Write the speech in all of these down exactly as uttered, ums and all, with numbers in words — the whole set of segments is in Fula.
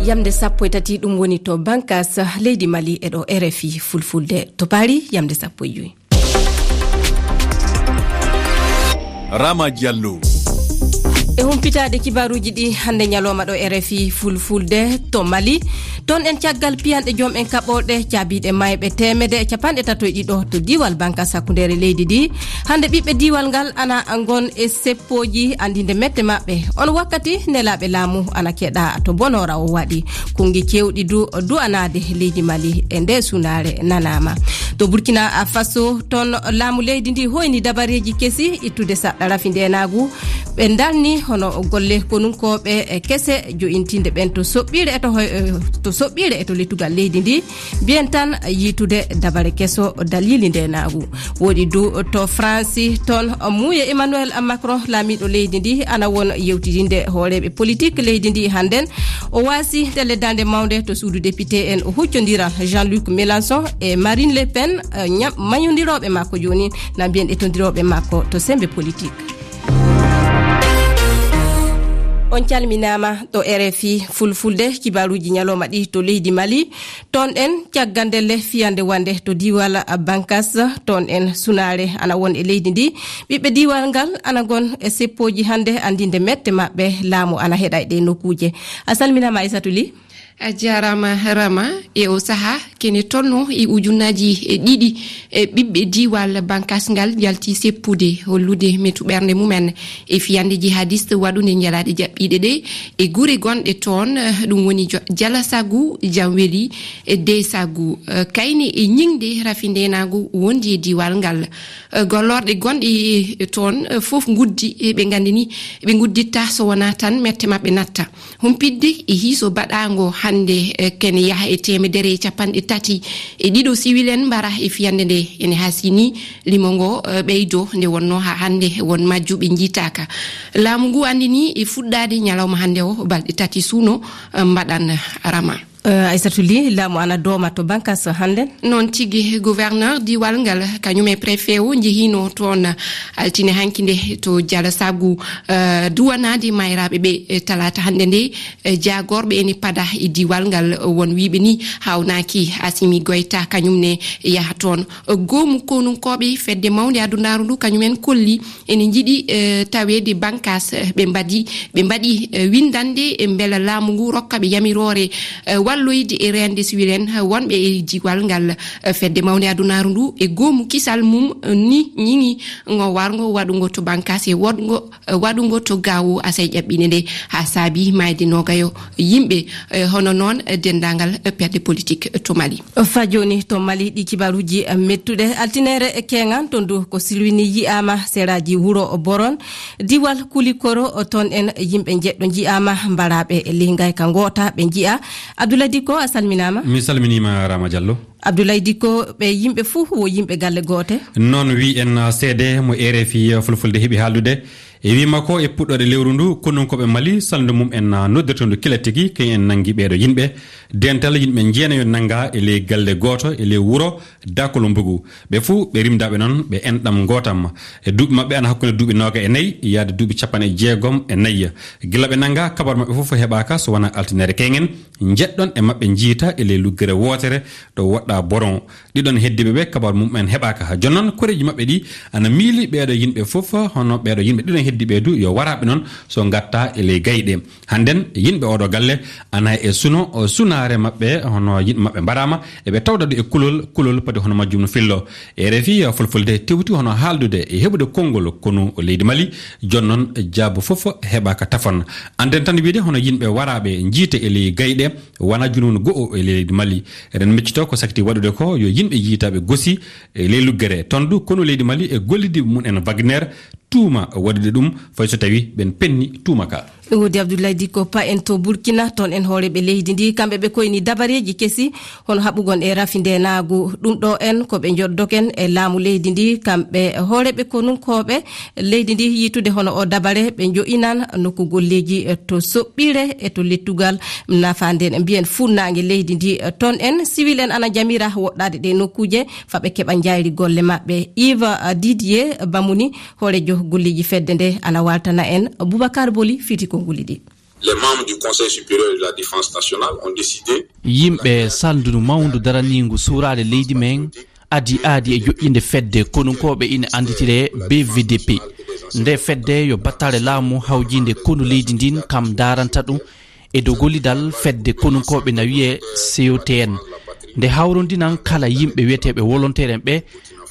Yamde sappo e tati, ɗum woni to bankas leydi Mali e ɗo R F I Fulfulde. To Paris, yamde sappo e jowi. Rama Diallo. E humpitaade kibaaruuji ɗi hannde ñalawma ɗo R F I Fulfulde to Mali. Toon en caggal piyanɗe joom en kaɓorɗe caabiiɗe maayɓe teemedde e capanɗe tato e ɗiɗo to diiwal bankas hakkundeere leydi ndi. Hannde ɓiɓɓe diiwal ngal ana ngon e seppooji anndinde mette maɓɓe. On wakkati nelaaɓe laamu ana keɗa to Bonora o waɗi. Konngi keewɗi du du'anaade leydi Mali e nde sunaare nanaama. To Burkina Faso, toon laamu leydi ndi hoyni dabareeji kesi ittude saɗɗa rafi ndeenaagu. Ɓe ndarni hono golle konunkooɓe kese jo'intinde ɓen to soɓɓiire e to hoy-, to soɓɓiire e to lettugal leydi ndi. Mbiyen tan yiitude dabare keso dalili ndeenaagu. Woɗi du to Faransi, toon Muuye Emmanuel Macron, laamiiɗo leydi ndi, ana won yewtidinde hooreeɓe politik leydi ndi hannden. O waasi ndelle daande mawnde to suudu député en, o huccondiran Jean-Luc Mélenchon e Marine Le Pen, eh, ñam-, mañondirooɓe makko jooni, na mbiyen etondirooɓe makko to sembe politik. On calminaama ɗo R F I Fulfulde, kibaaruuji ñalawma ɗi to leydi Mali. Toon en caggal ndelle fiyande wande to diiwal Bankas, toon en sunaare ana won e leydi ndi. Ɓiɓɓe diiwal ngal ana ngon e seppooji hannde anndinde mette maɓɓe. Laamu ana heɗa e ɗee nokkuuje. A salminaama, Aysatu Li. A jaaraama, Rama. E o sahaa, kene tolno e ujunnaaji e ɗiɗi e ɓiɓɓe diiwal Bankas ngal njalti seppude, hollude metu ɓernde mumen e fiyande jihadiste waɗunde ñalaaɗe jaɓɓiiɗe ɗe e gure gonɗe toon, eh, ɗum woni Jo-, Jalasagu, Jamweli, e Desagu. Eh, kayne e ñiŋde rafi ndeenaagu wondi e diiwal ngal. Eh, gollorɗe gonɗe, eh, toon, eh, fof nguddi, eh, ɓe nganndini, ɓe ngudditta so wonaa tan mette maɓɓe natta. Humpitde e hiiso baɗaango hannde, eh, kene yaha e teemedere e capanɗe tati e ɗiɗo siwil en mbara e fiyande nde. Ene hasini limo ngo, eh, ɓeydo nde wonno haa hannde won majjuɓe njiitaaka. Laamu ngu anndini e fuɗɗaade ñalawma hannde o balɗe tati suuno, eh, mbaɗan Rama. Eh, Aysatu Li, laamu ana dooma to Bankas hannde? Noon tigi, gouverneur diiwal ngal, kañum e préfet o njehino toon altine hanki nde to Jalasagu, eh, duwanaade mayraaɓe ɓe, eh, talaata hannde nde, eh, jaagorɓe ene pada e diiwal ngal, won wiiɓe ni haawnaaki Asimi Goyta kañum ne yaha toon. Goomu konunkooɓe fedde mawnde adunaaru ndu kañum en kolli ene njiɗi, eh, taweede Bankas, eh, ɓe mbaɗi, ɓe mbaɗi, eh, winndannde, eh, mbela laamu ngu rokka ɓe yamiroore, eh, walloyde e reende siwil en, eh, wonɓe e diiwal ngal. Eh, fedde mawnde adunaaru ndu e goomu kisal mum, eh, ni ñiŋi ngo warngo waɗungo to Bankas e woɗngo, eh, waɗungo to Gaawo Asay ƴaɓɓine nde, haa saabi maayde noogayo yimɓe, eh, hono noon, eh, denndaangal, eh, perde politik to Mali. Faa jooni to Mali, ɗi kibaaruuji, eh, mettuɗe. Altineere keeŋan toon du ko silwini yi'aama seraaji wuro Boron, diiwal Kulikoro, toon en yimɓe njeɗɗo nji'aama, mbaraaɓe e ley ngayka ngoota ɓe nji'a. Abdoulaye Dicko, a salminaama. Mi salminiima, Rama Diallo. Abdoulaye Dicko, ɓe yimɓe fuu wo yimɓe galle goote? Noon wi en, uh, seede mo R F I Fulfulde heɓi haaldude. E wi makko, e puɗɗoode lewru ndu, konunkooɓe Mali, salndu mum en, uh, noddirtendu kila tigi, kañum en nanngi ɓeeɗo yimɓe. Dental yimɓe jeenayo nannga e ley galle gooto, e ley wuro Dakolo Mbugu. Ɓe fuu ɓe rimdaaɓe noon, ɓe enɗam ngootam. E duuɓi maɓɓe ana hakkunde duuɓi nooga e nayi, yaade duuɓi capanɗe jeegom e nayi. Gila ɓe nannga, kabar maɓɓe fof heɓaaka, so wonaa altineere keeŋen. Njeɗɗon e maɓɓe njiita e ley luggere wootere ɗo woɗɗaa Boron. Ɗiɗon heddiiɓe ɓe, kabar mum en heɓaaka. Jooni noon, koreeji maɓɓe ɗi ana miili ɓeeɗo yimɓe fof, hono ɓeeɗo yimɓe ɗiɗon heddiiɓe du, yo waraaɓe noon so ngattaa e ley gayɗe. Hannden, yimɓe ooɗo galle ana e suno, o sunaare maɓɓe, hono yimɓe maɓɓe mbaraama, eɓe tawda du e kulol, kulol padi hono majjum no fillo. E R F I Fulfulde tewti hono haaldude e heɓude konngol konu leydi Mali, jooni noon jaabu fof heɓaaka tafon. Annden tan wiide hono yimɓe waraaɓe njiite e ley gayɗe, wonaa junuunu go'o e leydi Mali. Eɗen miccitoo ko sakti waɗude ko yo yimɓe yiytaaɓe gosi e ley luggere. Toon du konu leydi Mali e gollidiiɓe mum en Wagner tuuma waɗude ɗum, fay so tawii ɓen penni tuuma ka. Ɗum woodi Abdoulaye Dicko, pa en to Burkina, toon en hooreeɓe leydi ndi, kamɓe ɓe koyni dabareeji kesi, hono haɓugol e rafi ndeenaagu. Ɗum ɗo en ko ɓe njoddoken e laamu leydi ndi, kamɓe hooreeɓe konunkooɓe leydi ndi, yiitude hono o dabare, ɓe njo'inan nokku golleeji to soɓɓiire e to lettugal nafaande, mbiyen fuɗnaange leydi ndi. Toon en, siwil en ana njamira woɗɗaade ɗe nokkuuje, fa ɓe keɓa njaayri golle maɓɓe. Yves Didier Bamuni, hooreejo golleeji fedde nde, ana waaltana en Boubacar Boli fiti konnguli ɗi. Les membres du Conseil supérieur de la défense nationale ont décidé. Yimɓe salndu mawndu daraniingu suuraare leydi men adi aadi e joƴƴinde fedde konunkooɓe ina annditiree B V D P. Nde fedde yo battale laamu hawjiinde konu leydi ndin kam daaranta ɗum e dow gollidal fedde konunkooɓe na wiyee C O T N. Nde hawrondinan kala yimɓe wiyeteeɓe volontaire en ɓe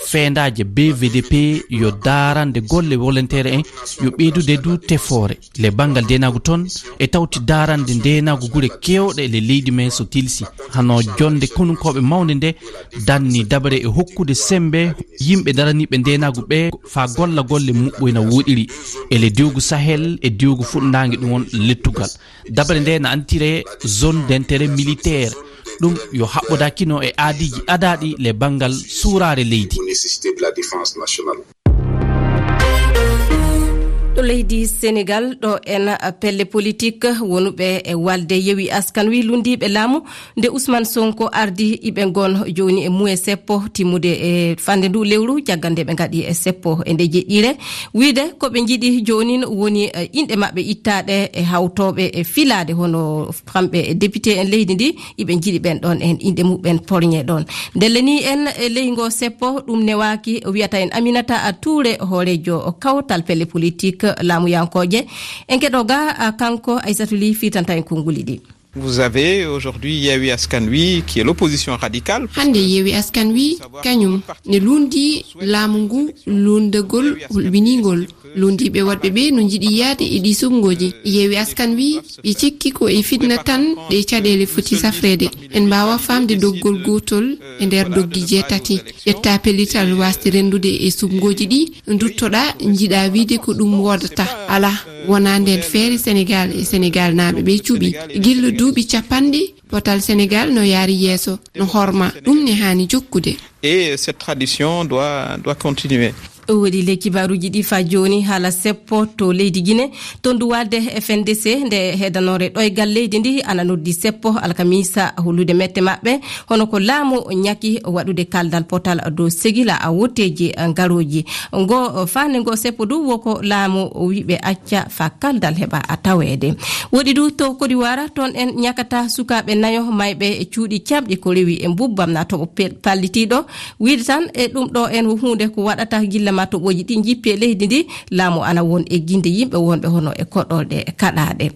feendaaje B V D P yo daarande golle volontaire en yo ɓeydude du tefoore le banngal denaagu toon e tawti daarande denaagu gure keewɗe le leydi men so tilsi hano jonde konunkooɓe mawnde nde danni dabare e hokkude sembe yimɓe daraniiɓe denaagu ɓe faa golla golle muɓɓoyna woɗiri e le diwgu Sahel e diwgu fuɗnaange ɗum won lettugal. Dabare nde na antiree zone d'intérêt militaire. Ɗum yo haɓɓodakino e aadiiji adaaɗi le banngal suuraare leydi. Nécessité de la défense nationale. Ɗo leydi Senegal, ɗo en pelle politique wonuɓe e walde Yewi Askan Wi lundiiɓe laamu nde Ousmane Sonko ardi iɓe ngon jooni e muye seppo timmude e fande ndu lewru caggal nde ɓe ngaɗi e seppo e nde jeɗɗire. Wiide ko ɓe njiɗi joonin woni, eh, inɗe maɓɓe ittaaɗe e hawtooɓe e filaade hono kamɓe e député en leydi ndi, iɓe njiɗi ɓen ɗon en inɗe muɓɓen porñe ɗon. Ndelle ni en e ley ngo seppo, ɗum newaaki, wiyata en Aminata Touré, hooreejo kawtal pelle politique laamuyankooje. En keɗo ga, ah, kanko Aissatou Ly fitanta en konnguli ɗi. Vous avez aujourd'hui Yewwi Askan Wi, qui est l'opposition radicale. Hannde Yewwi Askan Wi, kañum ne lundi laamu ngu lundagol hulɓiningol. Lundiiɓe waɗɓe ɓe no njiɗi yahde e ɗi suɓngooji. Yewwi Askan Wi, ɓe cikki ko e fitna tan ɗe caɗeele foti safreede. En mbaawa faamde doggol gootol e nder doggi jeetati. Ƴetta pellital waasde renndude e suɓngooji ɗi, nduttoɗaa, njiɗaa wiyde ko ɗum woodata. Alaa, wonaa ndeen feere Senegaal e Senegaalnaaɓe ɓe cuɓi. Gilla duuɓi cappanɗe, potal Senegaal no yaari yeeso, no horma. Ɗum ne haani jokkude. Et cette tradition doit, doit continuer. O waɗi le kibaaruuji ɗi faa jooni haala seppo to leydi Gine. Toon du waalde F N D C, nde heedanoore ɗoygal leydi ndi, ana noddi seppo alkamisa hollude mette maɓɓe, hono ko laamu ñaki waɗude kaldal potal dow segila a wotteeji ngarooji. Ngo, faande ngo seppo du, wo ko laamu o wiɓe acca faa kaldal heɓa a taweede. Woɗi du to Kodiwaara, toon en ñakata sukaaɓe nayo mayɓe e cuuɗi caɓɗi ko rewi e mbubbam na toɓo pel-, pallitiiɗo. Wiide tan e ɗum ɗo en wo huunde ko waɗata gilla ma toɓooji ɗi njippi e leydi ndi, laamu ana won e ginde yimɓe wonɓe hono e koɗorɗe kaɗaaɗe.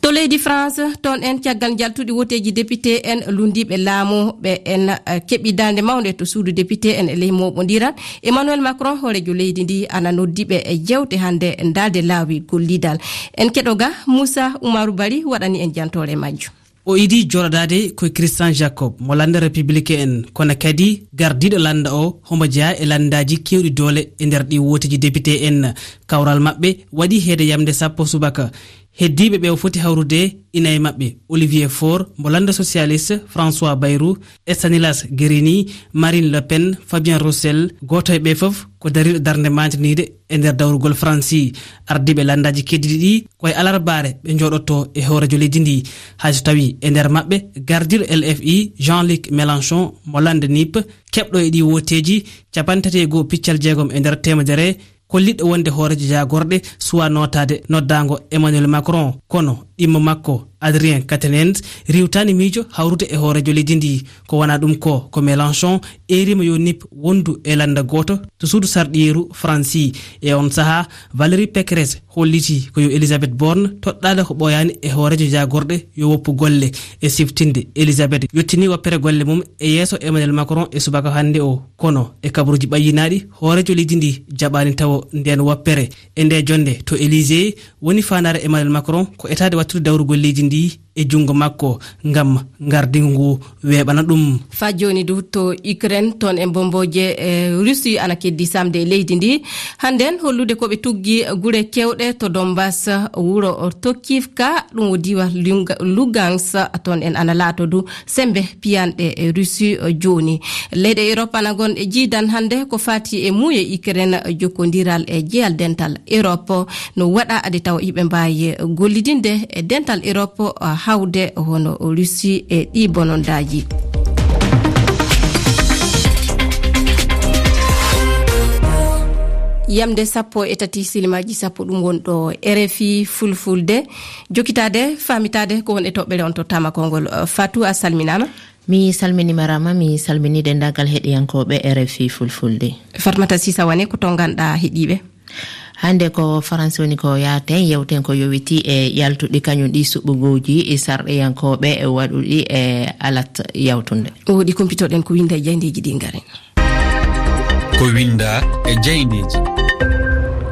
To leydi France, toon en caggal njaltuɗi woteeji député en lundiiɓe laamu ɓe en, eh, keɓi darnde mawnde to suudu député en e ley mooɓondiral. Emmanuel Macron, hooreejo leydi ndi, ana noddi ɓe e jewte hannde ndaalde laawi gollidal. En keɗo ga, Moussa Oumarou Bari waɗani en jantoore majjum. O idii jooɗodaade ko Christian Jacob mo lannda Républicain en, kono kadi gardiiɗo lannda o homo jeyaa e lanndaaji keewɗi doole e nder ɗi wooteeji député en. Kawral maɓɓe waɗi heede yamnde sappo subaka. Heddiiɓe ɓe o foti hawrude ina e maɓɓe Olivier Faure mo lannda socialiste, François Bayrou, Stanislas Guerini, Marine Le Pen, Fabien Roussel, gooto e ɓe fof ko dariiɗo darnde maantiniide e nder dawrugol Faransi. Ardiiɓe lanndaaji keddiiɗi ɗi ko e alarbaare ɓe njooɗoto e hooreejo leydi ndi. Hay so tawii e nder maɓɓe gardiiɗo L F I Jean-Luc Mélenchon mo lannda nip keɓɗo e ɗi wooteeji capanɗe tati e goo piccal jeegom e nder teemedere, kolliɗo wonde hooreejo jaagorɗe suwaa nootaade noddaango Emmanuel Macron, kono ɗimmo makko Adrien Quatennens riiwtaani miijo hawrude e hooreejo leydi ndi. Ko wonaa ɗum ko, ko Mélenchon eeriima yo nip wondu e lannda gooto to suudu sarɗiyeeru Faransi. E on sahaa, Valérie Pécresse hollitii ko yo Elisabeth Borne toɗɗaade ko ɓooyaani e hooreejo jaagorɗe yo woppu golle. E siftinde, Elisabeth yottinii woppere golle mum e yeeso Emmanuel Macron e subaka hannde o. Kono e kabaruuji ɓayyinaaɗi, hooreejo leydi ndi jaɓaani tawo ndeen woppere. E nde jonnde to Élysée, woni faandaare Emmanuel Macron ko etaade wattude dawrugol leydi ndi e junngo makko ngam ngardingu ngu weeɓana ɗum. Faa jooni du to Ukraine, toon e mbombooje, e Russie ana keddi samde e leydi ndi. Hannden hollude ko ɓe tuggi gure keewɗe to Donbas, wuro Tokivka, ɗum o diiwal Lunga-, Lugansk, toon en ana laato du sembe piyanɗe e Russie, eh, jooni. Leyɗe Europe ana ngon e jiidan hannde ko faati e muuye Ukraine, eh, jokkondiral e jeyal dental Europe no waɗa ade tawa iɓe mbaawi, eh, gollidinde e dental Europe, eh, hawde hono Russie e ɗi bonondaaji. Yamde sappo e tati silimaaji sappo, ɗum won ɗo R F I Fulfulde. Jokkitaade, faamitaade ko won e toɓɓere on tottaama konngol. Fatou, a salminaama. Mi salminiima Rama, mi salmini denndaangal heɗiyankooɓe R F I Fulfulde. Fatmata Sisa Wane, ko to nganɗaa heɗiiɓe? Hannde ko Faransi woni ko yahten, yewten ko yowiti e yaltuɗi kañum ɗi suɓugooji e sarɗiyankooɓe e waɗuɗi e alat yawtunde. O waɗi kumpitoɗen ko winnda e jayndeeji ɗi ngari. Ko winnda e jayndeeji.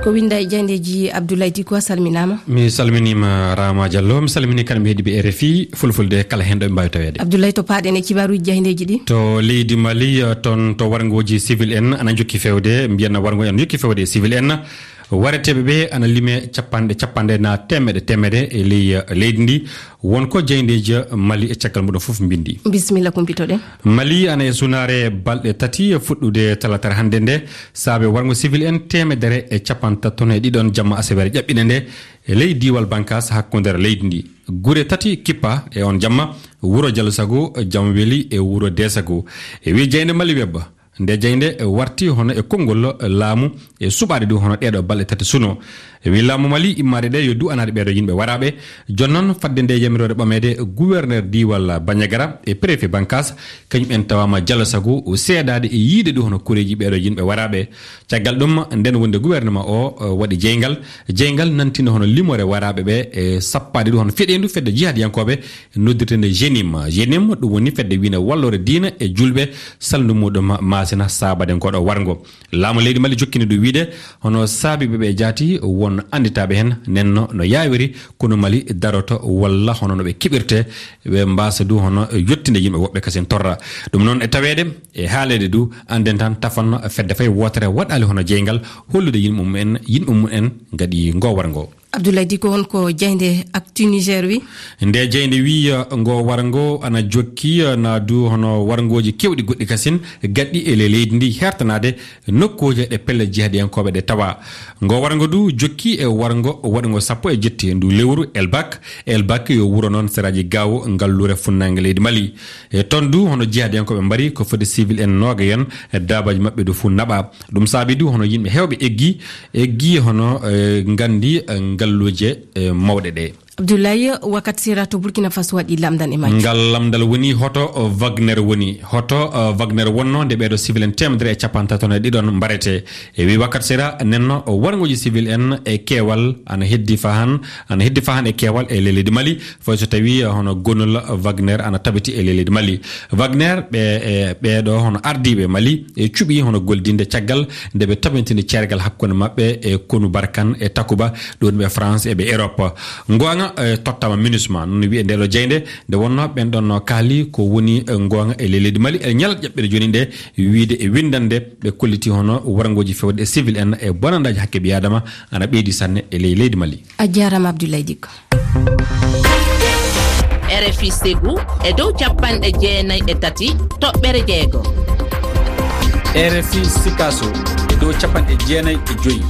Ko winnda e jayndeeji, Abdoulaye Dicko, a salminaama. Mi salminiima Rama Diallo, mi salmini kala mi heɗiiɓe R F I Fulfulde kala heen ɗo ɓe mbaawi taweede. Abdoulaye, to paaɗen e kibaaruuji jayndeeji ɗi. To leydi Mali, eh, toon to warngooji civil en ana njokki fewde, mbiyen warngooji ana njokki fewde e civil en. Wareteeɓe ɓe ana lime capanɗe, capanɗe na teemedde, teemedde e ley, eh, leydi ndi. Won ko jayndeeji Mali e caggal muɗum fof mbinndi. Bisimilla, kumpitoɗen. Mali ana e sunaare balɗe tati fuɗɗude talaata hannde nde, saabe warngo civil en teemedere e capanɗe tati toon e ɗiɗon jamma aseweere ƴaɓɓinde nde e ley diiwal Bankas hakkundeere leydi ndi. Gure tati kippa e on jamma, wuro Jalsago, Jamweli e wuro Desago. E wi jaynde Mali Web, nde jaynde warti hono e konngol laamu e suɓaade du hono ɗeeɗo balɗe tati suno. E wi laamu Mali, immaade ɗe yo du'anaade ɓeeɗo yimɓe waraaɓe. Jooni noon, fadde nde yamiroore ɓameede, gouverneur diiwal Bandiagara e préfet Bankas, kañum en tawaama Jalsago seedaade e yiide du hono koreeji ɓeeɗo yimɓe waraaɓe. Caggal ɗum, nden wonde gouvernement o, eh, waɗi jeyngal. Jeyngal nantina hono limoore waraaɓe ɓe, e sappaade du hono feɗeendu fedde jihadiyankooɓe noddirteende jenim. Jenim, ɗum woni fedde wiine walloore diina e julɓe, salndu muɗum maasina saabade ngoɗo warngo. Laamu leydi Mali jokkini ɗum wiide, hono saabiiɓe ɓe jaati won annditaaɓe heen, nden no, no yaawiri, kono Mali daroto walla hono no ɓe keɓirte, ɓe mbaasa du hono yottinde yimɓe woɓɓe kasen torra. Ɗum noon e taweede, e haaleede du, annden tan tafan fedde fay wootere waɗaali hono jeyngal, hollude yimɓe mum en, yimɓe mum en ngaɗi ngo warngo. Abdoulaye Dicko, hol ko jaynde Actu Niger wi? Nde jaynde wi, eh, ngo warngo ana jokki, eh, na du hono warngooji keewɗi goɗɗi kasin gaɗɗi e ley leydi ndi hertanaade nokkuuje ɗe pelle jihadiyankooɓe ɗe tawa. Ngo warngo du jokki e warngo waɗungo sappo e jetti ndu lewru Elbak. Elbak yo wuro noon seraaji Gaawo, ngalluure funnaange leydi Mali. E toon du hono jihadiyankooɓe mbari ko foti civil en noogayen e daabaaji maɓɓe du fuu naɓa. Ɗum saabi du hono yimɓe heewɓe eggi, eggi hono, eh, nganndi, eh, ngalluuje, eh, mawɗe ɗe. Abdoulaye, wakkati sera to Burkina Faso waɗi lamndal e majjum. Ngal lamndal woni hoto Wagner woni, hoto, eh, Wagner wonno nde ɓeeɗo civil en teemedere e capanɗe tati e ɗiɗon mbarete. E wi wakkati sera nenno warngooji civil en e keewal ana heddi fahan, ana heddi fahan e keewal e ley leydi Mali. Fay so tawi, eh, hono gonol Wagner ana tabiti e ley leydi Mali. Wagner, ɓe, e ɓeeɗo hono ardiiɓe Mali, e cuɓi hono goldinde caggal nde ɓe tabintini ceergal hakkunde maɓɓe e konu Barkan e Takuba, ɗum ɓe France e ɓe Europe. Ngoonga, eh, tottama MINUSMA, noon wiye nde ɗo jeynde, nde wonno ɓen ɗon no kaali ko woni, eh, ngoonga e ley leydi Mali. E ñalawma ƴaɓɓere jooni nde, wiide e winndannde, ɓe kolliti hono warngooji fewde e civil en e bonandaaji hakke ɓii Aadama ana ɓeydi sanne e ley leydi Mali. A jaaraama, Abdoulaye Dicko. R F I Ségou e dow capanɗe jeenayi e tati toɓɓere jeego. R F I Sikaso e dow capanɗe jeenayi e joyi.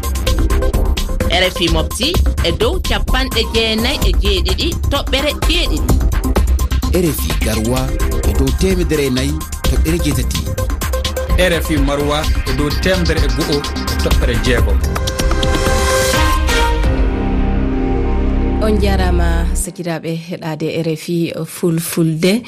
R F I Mopti e dow capanɗe jeenayi e jeeɗiɗi toɓɓere jeeɗiɗi. R F I Garoua e dow teemedere e nayi toɓɓere jeetati. R F I Maroua e dow teemedere e go'o toɓɓere jeegom. On jaaraama, sakiraaɓe, heɗaade R F I Fulfulde.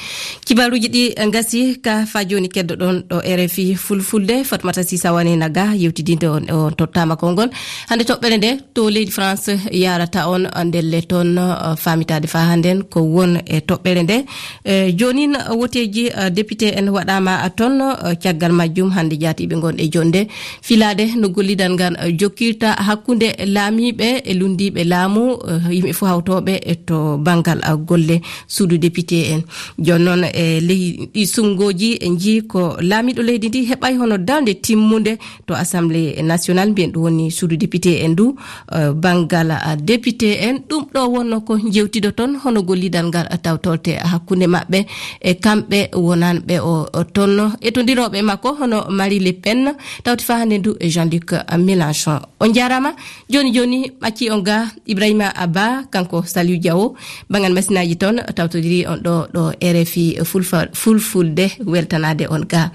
Kibaaruuji ɗi ngasi ka faa jooni, keddoɗon ɗo R F I Fulfulde. Fatmata Sisa Wane na ga yewtidinde on, on tottaama konngol. Hannde toɓɓere nde to leydi France yaarata on, ndelle toon, eh, faamitaade faa hannden ko won e toɓɓere nde. Eh, joonin, eh, woteeji, eh, député en waɗaama, eh, toon, eh, caggal majjum hannde jaatiiɓe ngon e jonde filaade no gollidal ngal, eh, jokkirta hakkunde laamiiɓe e lunndiiɓe laamu, eh, yimɓe fof hawtooɓe e to banngal, eh, golle suudu député en. Jooni noon, e ley ɗi suɓngooji, en njii ko laamiiɗo leydi ndi heɓay hono darnde timmunde to Assemblée nationale, mbiyen ɗum woni suudu député en ndu, eh, banngal, ah, député en. Ɗum ɗo wonno ko njewtidoton, hono gollidal ngal tawtorte hakkunde maɓɓe e kamɓe wonanɓe o, o tonno. E to ndirooɓe makko hono Marie Le Pen, tawti faa hannde ndu e Jean-Luc Mélenchon. On jaaraama. Jooni jooni, ɓacci on ga Ibrahima Abba, kanko Saliou Diawo, banngal masinaaji toon, tawtodiri on ɗo, ɗo R F I Fulfa-, Fulfulde, weltanaade on ga.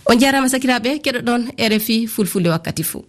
On jaaraama sakiraaɓe, keɗoɗon R F I Fulfulde wakkati fuu.